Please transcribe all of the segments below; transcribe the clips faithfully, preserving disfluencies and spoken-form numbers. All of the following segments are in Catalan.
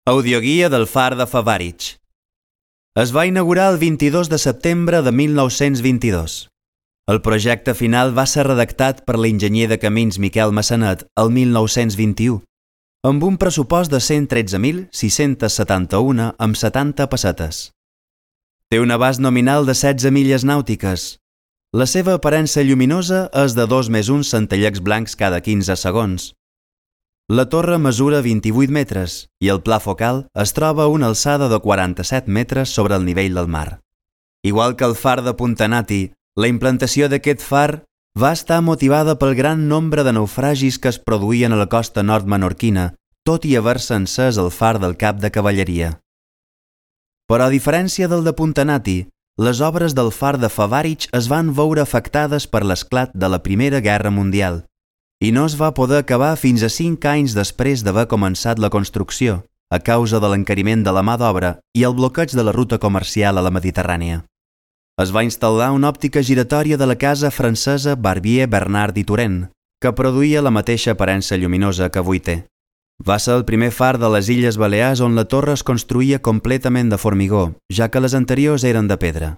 Audioguia del Far de Favarich. Es va inaugurar el vint-i-dos de setembre de mil nou-cents vint-i-dos. El projecte final va ser redactat per l'enginyer de camins Miquel Massanet el mil nou-cents vint-i-u, amb un pressupost de cent tretze mil sis-cents setanta-u amb setanta pessetes. Té un abast nominal de setze milles nàutiques. La seva aparença lluminosa és de dos més un centellecs blancs cada quinze segons. La torre mesura vint-i-vuit metres i el pla focal es troba a una alçada de quaranta-set metres sobre el nivell del mar. Igual que el far de Puntanati, la implantació d'aquest far va estar motivada pel gran nombre de naufragis que es produïen a la costa nord menorquina, tot i haver-se encès el far del cap de cavalleria. Però a diferència del de Puntanati, les obres del far de Favarich es van veure afectades per l'esclat de la Primera Guerra Mundial i no es va poder acabar fins a cinc anys després d'haver començat la construcció, a causa de l'encariment de la mà d'obra i el bloqueig de la ruta comercial a la Mediterrània. Es va instal·lar una òptica giratòria de la casa francesa Barbier, Bernard i Turenne, que produïa la mateixa aparença lluminosa que avui té. Va ser el primer far de les Illes Balears on la torre es construïa completament de formigó, ja que les anteriors eren de pedra.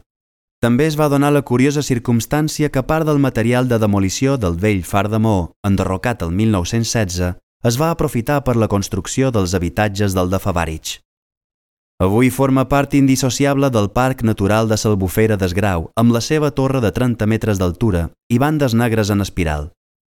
També es va donar la curiosa circumstància que part del material de demolició del vell far de Maó, enderrocat el mil nou-cents setze, es va aprofitar per la construcció dels habitatges del de Favarich. Avui forma part indissociable del Parc Natural de s'Albufera d'Esgrau, amb la seva torre de trenta metres d'altura i bandes negres en espiral.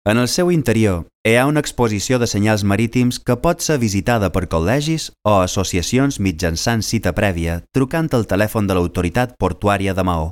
En el seu interior hi ha una exposició de senyals marítims que pot ser visitada per col·legis o associacions mitjançant cita prèvia trucant al telèfon de l'autoritat portuària de Maó.